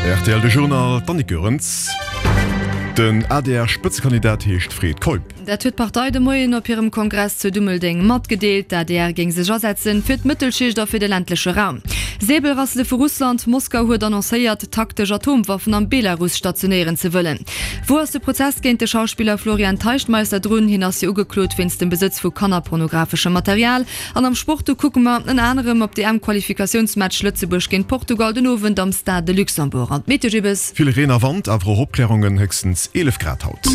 Rtl De Journal, d'Annick Goerens. Den ADR-Spëtzekandidat heescht Fred Keup. Dat huet d'Partei de Moien op hirem Kongress zu Dummeldeng matgedeelt. D'ADR géing sech asetzen fir d'Mëttelschicht a fir de ländleche Raum. Säbelrassele vu Russland, Moskau huet annoncéiert, taktesch Atomwaffen am Belarus stationéieren ze wëllen. Wou ass de Prozess géint de Schauspiller Florian Teichtmeister drun? Hien ass jo ugeklot wéinst dem Besëtz vu kannerpornografeschem Material. An am Sport, do kucke mer ënner anerem op d'EM-Qualifikatiounsmatch Lëtzebuerg géint Portugal den Owend am Stade de Luxembourg. An d'Meteo Gibbes. Vill Reen a Wand, awer och Opklärungen, héchstens 11 Grad haut.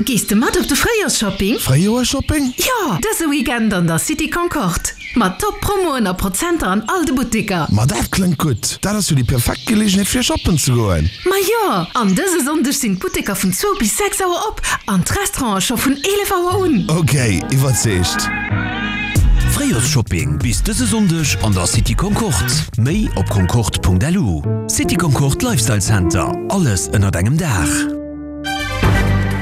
Gees de mat op de Fréijoersshopping? Fréijoersshopping? Jo! Dëse Weekend an der City Concorde. Mat top Promoen a Prozenter an all de Butteker. Ma dat klëngt gutt! Dat ass jo déi perfekt Geleegenheet fir shoppen ze goen. Ma jo! An dëse Sonndeg sinn d'Butteker vun zwou bis 6 Auer op an d'Restaurante scho vun 11 Auer un. Ok, iwwerzeegt! Fréijoersshopping bis dëse Sonndeg an der City Concorde. Méi op concorde.lu. City Concorde Lifestyle Center, alles ënnert engem Daach.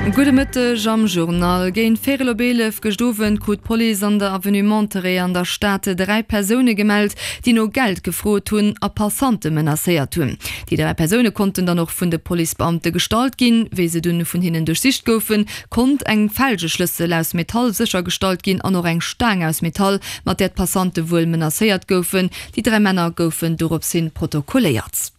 Gudde Mëtteg am Journal. Géint véirel op 11 gëscht Owend krut d'Police an der Avenue Monterey an der Stad 3 Persoune gemellt, déi no Geld gefrot hunn a Passante menacéiert hunn. Déi 3 Persoune konnten dann och vun de Policebeamte gestallt ginn. Wéi se dunn vun hinnen duerchsicht goufen, konnt eng Felgeschlëssel aus Metall séchergestallt ginn an och eng Staang aus Metall, mat där d'Passante wuel menacéiert goufen. Déi 3 Männer goufen dorops hin protokolléiert.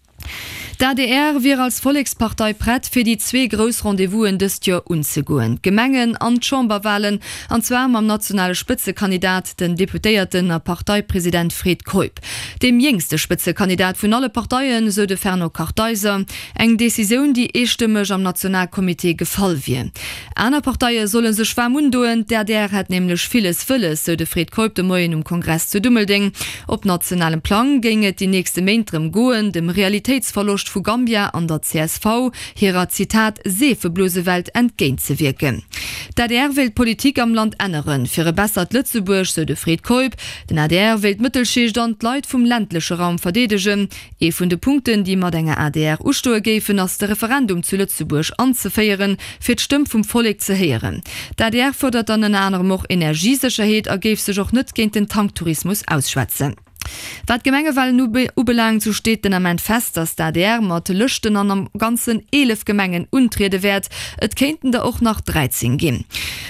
D'ADR wier als Vollekspartei prett, fir déi zwee grouss Rendez-vousen dëst Joer unzegoen, d'Gemengen an d'Chamberwalen, an zwar mam nationale Spëtzekandidat, den Deputéierten a Parteipresident Fred Keup. Deem jéngste Spëtzekandidat vun alle Parteien, sou de Fernand Kartheiser. Eng Decisioun, déi eestëmmeg am Nationalcomité gefall wier. Aner Parteie solle sech waarm undoen, d'ADR hätt nämlech villes wëlles, sou de Fred Keup de Moien um Kongress zu Dummeldeng. Op nationalem Plang géing et déi nächste Méint drëm goen, dem Realitéitsverloscht vu Gambia an der csv hirer, Zitat, Seefeblosewelt entgéintzewierken. D'adr wéilt d'Politik am Land änneren, fir e bessert Lëtzebuerg, sou de Fred Keup. Den adr wéilt d'Mëttelschicht an d'Leit vum ländleche Raum verdeedegen. Ee vun de Punkten, déi mat enger adr ustoe géifen, ass de Referendum zu Lëtzebuerg anzeféieren, fir d'Stëmm vum Vollek ze héieren. D'adr fuerdert dann ënner anerem och Energiesécherheet a géif sech och net géint den Tanktourismus ausschwätzen. Wat d'Gemengewalen ubelaangt, sou steet den Ament fest, datt d'adr mat Lëschten an am Ganzen 11 Gemengen untriede wäert. Et kéinten der och nach 13 ginn.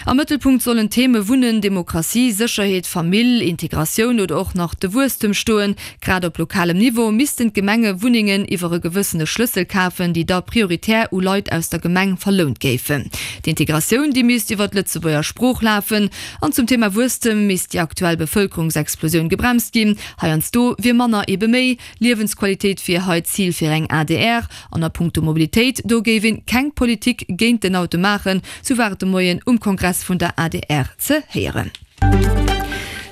Am Mëttelpunkt sollen d'Theme Wunnen, Demokratie, Sécherheet, Famill, Integratioun oder och nach de Wuesstem stoen. Grad op lokalem Niveau missten d'Gemenge Wunnengen iwwer e gewëssene Schlëssel kafen, déi da prioritär u Leit aus der Gemeng verlount géifen. D'Integratioun, déi misst iwwer d'Lëtzebuerger Sprooch lafen. An zum Thema Wuesstem misst déi aktuell Bevëlkerungsexplosioun gebremst ginn. Heiansdo wier manner ebe méi. Liewensqualitéit wier hei d'Zil fir eng adr. An a punkto Mobilitéit, do géif een keng Politik géint den Auto maachen, sou war et de Moien um Kongress vun der adr ze héieren.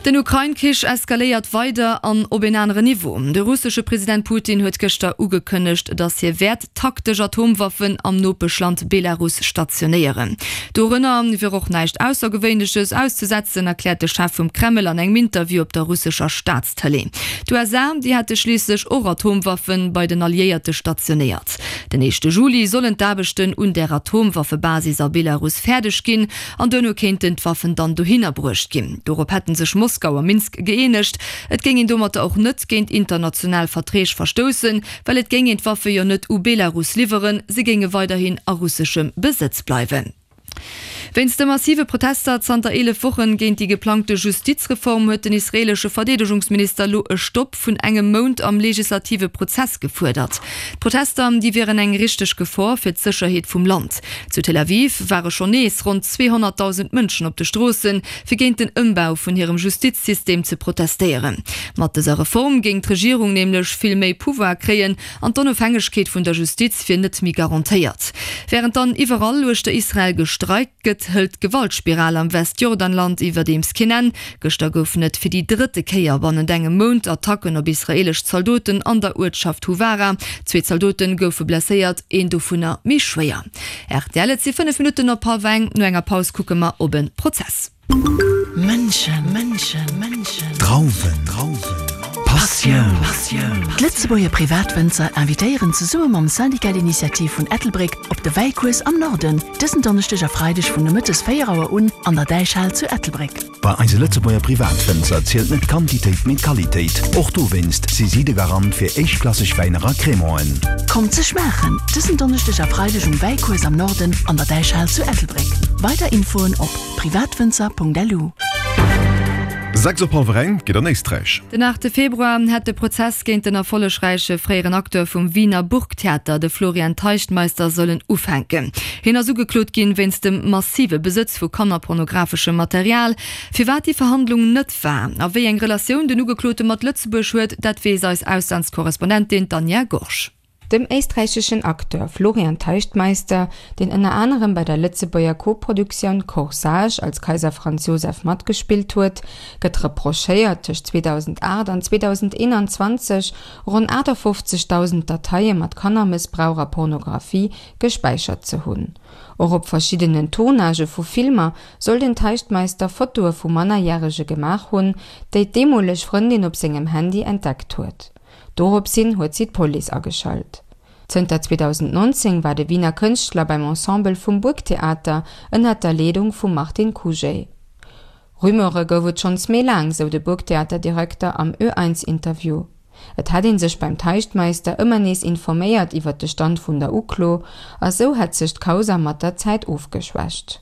Den Ukrain-Krich eskaléiert weider an op een aneren Niveau. De russesche President Putin huet gëschter ugekënnegt, datt hie wäert taktesch Atomwaffen am Nopeschland Belarus stationéieren. Dorënner wier och näischt Aussergewéinleches auszesetzen, erkläert de Chef vum Kreml an engem Interview op der russescher Staatstëlee. D'USA, déi hätte schliisslech och Atomwaffe bei den Alliéierte stationéiert. Den éischte Juli sollen d'Aarbechten un där Atomwaffebasis a Belarus fäerdeg ginn. An duerno kéinten d'Waffen dann dohinner bruecht ginn. Dorop hätte sech Moskau a Minsk gëeenegt. Et géing een domatter och net géint international Verträg verstoussen, well et géing een d'Waffe jo net u Belarus liwweren, se géinge weiderhin a russeschem Besëtz bleiwen. Wéinst de massive Protester zanter 11 Wochen géint déi geplangte Justizreform huet den israeelesche Verdeedegungsminister elo e Stopp vun engem Mount am legislative Prozess gefuerdert. D'Protester, déi wieren eng richteg Gefor fir d'Sécherheet vum Land. Zu Tel Aviv ware schonn nees ronn 200.000 Mënschen op de Stroossen, fir géint den Ëmbau vun hirem Justizsystem ze protestéieren. Mat dëser Reform géing d'Regierung nämlech vill méi Pouvoir kréien an d'Onofhängegkeet vun der Justiz wier net méi garantéiert. Wärend dann iwwerall uechter Israel gestreikt gëtt, hëlt d'Gewaltspiral am Westjordanland iwwerdeems keen Enn. Gëschter goufen et fir déi drëtte Kéier bannent engem Mount Attacken op israeelesch Zaldoten an der Uertschaft Huwara. Zwee Zaldote goufe blesséiert, een dovunner méi schwéier. Rtl, Et si 5 Minutten op hallwer eng. No enger Paus kucke mer op e Prozess. Mënschen, Drauwen, Passioun. Passioun. D'Lëtzebuerger Privatwënzer invitéieren zesumme mam Syndicat d'Initiative vun Ettelbréck op de Wäicours am Norden, dësen Donneschdeg a Freideg vun nomëttes 4 Auer un an der Däichhal zu Ettelbréck. Bei eise Lëtzebuerger Privatwënzer zielt net d'Quantitéit, mee d'Qualitéit. Och dowéinst si si de Garant fir éischtklasseg Wäiner a Crémanten. Kommt se schmaachen, dësen Donneschdeg a Freideg um Wäicours am Norden an der Däichhal zu Ettelbréck. Weider Infoen op privatwënzer.lu. 6 op hallwer eng geet an Éisträich. Den 8 Februar hätt de Prozess géint den erfollegräiche fréieren Acteur vum Wiener Burgtheater, de Florian Teichtmeister, sollen ufänken. Hien ass ugeklot ginn wéinst dem massive Besëtz vu kannerpornographeschem Material. Firwat déi Verhandlung net war a wéi eng Relatioun den Ugeklote mat Lëtzebuerg huet, dat weess eis Auslandskorrespondentin, d'Anja Gorge. Dem éisträicheschen Acteur Florian Teichtmeister, deen ënner anerem bei der Lëtzebuerger Koproduktioun Corsage als Kaiser Franz Joseph matgespillt huet, gëtt reprochéiert, tëscht 2008 an 2021 ronn 58.000 Dateie mat Kannermëssbrauch a Pornografie gespäichert ze hunn. Och op verschiddenen Tournagë vu Filmer soll den Teichtmeister Fotoe vu Mannerjärege gemaach hunn, déi d'deemoleg Frëndin op sengem Handy entdeckt huet. Doropshin huet si d'Police ageschalt. Zënter 2019 war de Wiener Kënschtler beim Ensemble vum Burgtheater ënnert der Leedung vum Martin Kužej. Rumeure gouf et schonns méi laang, sou de Burgtheaterdirekter am Ö1-Interview. Et hätt ee sech beim Teichtmeister ëmmer nees informéiert iwwer de Stand vun der Uklo a sou hätt sech d'Kausa mat der Zäit ofgeschwächt.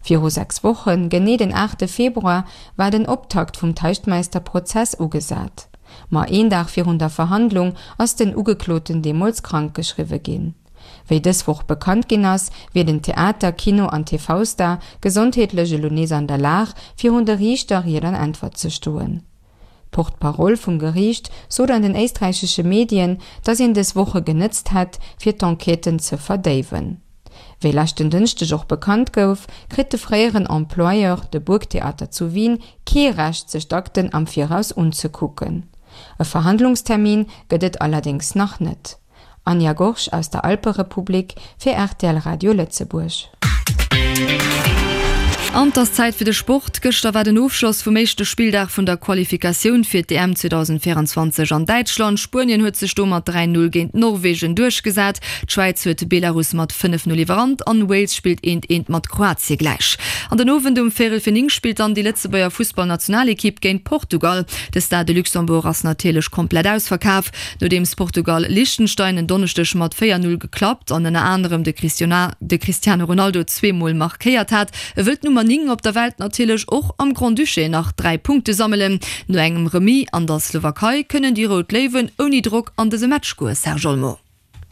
Viru 6 Wochen, genee den 8 Februar, war den Optakt vum Teichtmeister-Prozess ugesat. Ma een Dag virun der Verhandlung ass den Ugekloten deemools krank geschriwwe ginn. Wéi dës Woch bekannt ginn ass, wier den Theater-, Kino an TV-Star gesondheetlech elo nees an der Lag, virun de Riichter Ried an Äntwert ze stoen. D'Porte-parole vum Geriicht sot an den éisträichesche Medien, datt een dës Woche genëtzt hätt, fir d'Enquêten ze verdéiwen. Wéi leschten Dënschdeg och bekannt gouf, kritt de fréieren Employeur, de Burgtheater zu Wien, kee Recht sech d'Akten am Viraus unzekucken. E Verhandlungstermin gëtt et allerdéngs nach net. Anja Gorge aus der Alperepublik fir rtl Radio Lëtzebuerg. An 't ass Zäit fir de Sport. Gëschter war den Ofschloss vum éischte Spilldag vun der Qualifikatioun fir d'EM 2024 an Däitschland. Spuenien huet sech do mat 3, 0 géint Norwegen duerchgesat. D'Schwäiz huet Belarus mat 5, 0 iwwerrannt an Wales spillt eent eent mat Kroatie gläich. An den Owend um véierel fir 9 spillt dann déi Lëtzebuerger Fussballnationalekipp géint Portugal. De Stade de Luxembourg ass natierlech komplett ausverkaf, nodeems Portugal Liechtenstein en Donneschdeg mat 4, 0 geklappt an ënner anerem de Cristiano Ronaldo zweemol markéiert hat. Wëllt d'Nummer 9 op der Welt natierlech och am Grand-Duché nach 3 Punkte sammelen. No engem Remis an der Slowakei kënnen déi Rout Léiwen ouni Drock an dëse Match goen, Serge Olmo.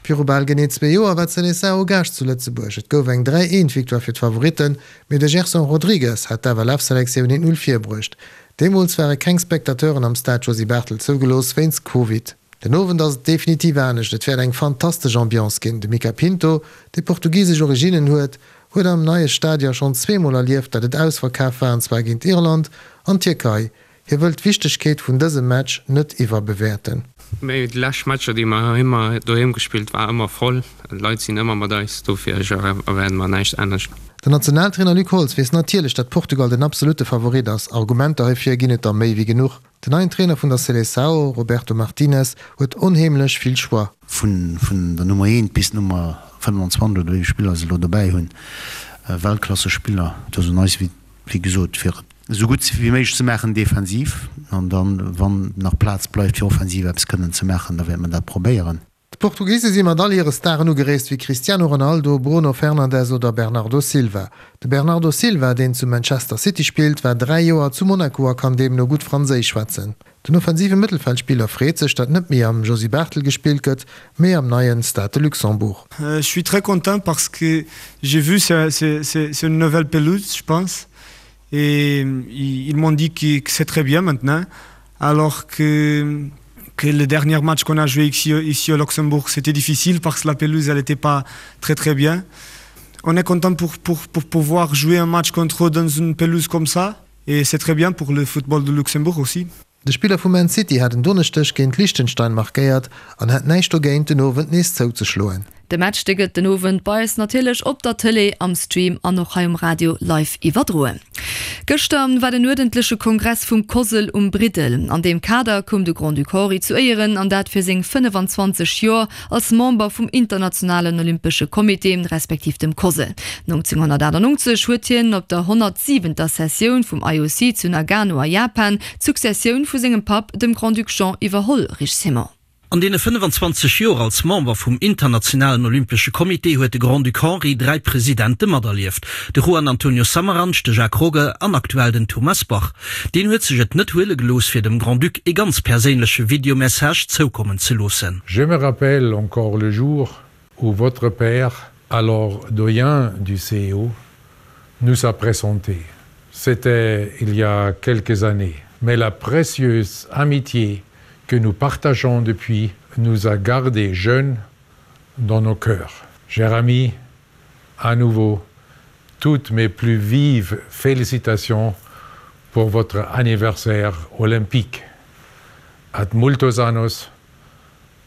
Viru bal genee zwee Joer war d'Seleção Gaascht zu Lëtzebuerg. Et gouf eng 3, 1 Victoire fir d'Favoritten, mee de Gerson Rodrigues hat d'FLF-Selektioun 1, 0 virbruecht. Deemools ware keng Spectateuren am Stade Josy Barthel zougelooss wéinst Covid. Den Owend ass et definitiv anescht, et wäert eng fantastesch Ambiance ginn. De Mica Pinto, dee portugisesch Originnen huet, huet am neie Stadion schonn zweemol erlieft, dat et ausverkaf war, an zwar géint Irland an d'Tierkei. Hie wëll d'Wichtegkeet vun dësem Match net iwwerbewäerten. Mee déi lescht Matcher déi mer heiheem doheem gespillt war ëmmer voll, d'Leit sinn ëmmer mat eis, dofir erwaarde mer näischt anescht. Den Nationaltrainer Luc Holtz weess natierlech, datt Portugal den absolutte Favorit ass. Argumenter heifir ginn et der méi wéi genuch. Den neien Trainer vun der Seleção, Roberto Martinez, huet onheemlech vill Choix. Vun der Nummer eent bis d'Nummer 25 oder wéi vill Spiller se elo dobäi hunn, Weltklassespiller. Et ass un eis, wéi gesot, fir et esou gutt wéi méiglech ze maachen defensiv an dann, wann nach Plaz bleift, fir offensiv eppes kënnen ze maachen, da wäerte mer dat probéieren. D'Portugise si mat all hire Staren ugereest wéi Cristiano Ronaldo, Bruno Fernandes oder Bernardo Silva. De Bernardo Silva, deen zu Manchester City spillt, war 3 Joer zu Monaco a kann deemno gutt Franséisch schwätzen. Den offensive Mëttelfeldspiller freet sech, datt net méi am Josy Barthel gespillt gëtt, mee am neien Stade de Luxembourg. Je suis très content parce que j'ai vu c'est une nouvelle pelouse je pense et ils m'ont dit que c'est très bien maintenant alors que que le dernier match qu'on a joué ici, ici au Luxembourg c'était difficile parce que la pelouse elle n'était pas très très bien. On est content pour, pour, pour pouvoir jouer un match contre eux dans une pelouse comme ça et c'est très bien pour le football de Luxembourg aussi. De Spiller vu Man City hat en Donneschdeg géint Liechtenstein markéiert an hätt näischt dogéint, den Owend nees zouzeschloen. De Match dee gëtt den Owend bei eis natierlech op der Tëlee, am Stream an och hei um Radio live iwwerdroen. Gëschter war den uerdentleche Kongress vum COSL um Briddel. An deem Kader koum de Grand-Duc Henri zu Éieren, an dat fir seng 25 Joer als Member vum Internationalen Olympesche Comité, respektiv dem COSL. 1998 huet hien op der 107. Sessioun vum IOC zu Nagano a Japan d'Successioun vu sengem Papp, dem Grand-Duc Jean, iwwerholl. Rich Simon. An deene 25 Joer als Member vum Internationalen Olympesche Comité huet de Grand-Duc Henri dräi Presidente materlieft, de Juan Antonio Samaranch, de Jacques Rogge an aktuell den Thomas Bach. Deen huet sech et net huele gelooss, fir dem Grand-Duc ee ganz perséinleche Videomessage zoukommen ze loossen. Je me rappelle encore le jour où votre père, alors doyen du CEO, nous a présenté. C'était il y a quelques années, mais la précieuse amitié que nous partageons depuis nous a gardé jeunes dans nos cœurs. Jérémy, à nouveau, toutes mes plus vives félicitations pour votre anniversaire olympique. Ad multos annos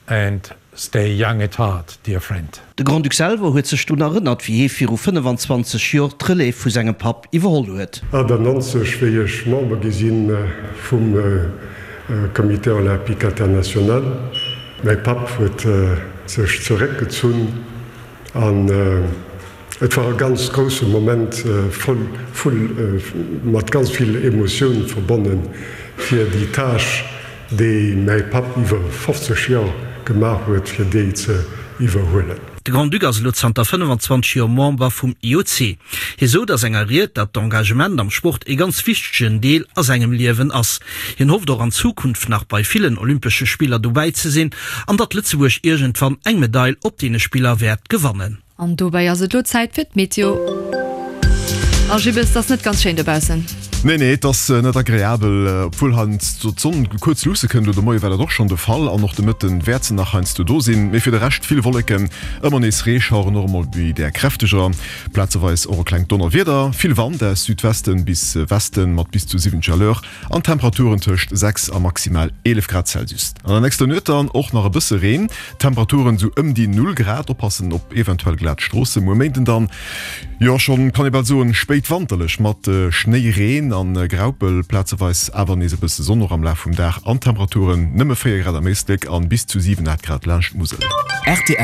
and stay young at heart, dear friend. De Grand-Duc selwer huet sech drun erënnert, wéi hie viru 25 Jor d'Relève vu sengem Papp iwwerholl huet. 98, wéi ech Member gi si vum Comité Olympique International. Mäi Papp huet sech zeréckgezunn an et war e ganz grousse Moment, voll, voll, mat ganz vill Emotioun verbonnen, fir déi Tâche, déi mäi Papp iwwer 50 Joer gemaach huet, fir déi ze iwwerhuelen. De Grand-Duc ass elo zanter 25 Joer Member vum IOC. Hie sot a senger Ried, datt d'Engagement am Sport ee ganz wichtegen Deel a sengem Liewen ass. Hien hofft och an Zukunft nach bei villen Olympesche Spiller dobäi ze sinn an datt Lëtzebuerg iergendwann eng Medail op deene Spiller wäert gewannen. An dobäi ass et lo Zäit fir d'Meteo. A Jibbes, 't ass net ganz schéin dobaussen. Nee, nee, et ass net agreabel, obwuel heiansdo d'Sonn kuerz luusse kënnt. Elo de Moie war dat och schonn de Fall an och de Mëtte wäert se nach heiansdo do sinn. Mee fir de Rescht vill Wolleken, ëmmer nees Reeschaueren, och emol méi där kräfteger, plazeweis och e klengt Donnerwieder, vill Wand aus Südwesten bis Westen mat bis zu 70 à l'heure an Temperaturen tëscht 6 a maximal 11 Grad Celsius. An der nächster Nuet dann och nach e bësse Reen, Temperaturen sou ëm déi 0 Grad. Oppassen op eventuell glat Stroosse. Muer Méinden dann, jo schonn kann ee bal soen, spéitwanterlech mat Schnéi, Reen an Graupel, plazeweis awer nees e bësse Sonn och am Laf vum Dag an Temperaturen nëmme 4 Grad am Éislek an bis zu 7, 8 Grad laanscht d'Musel. Rtl.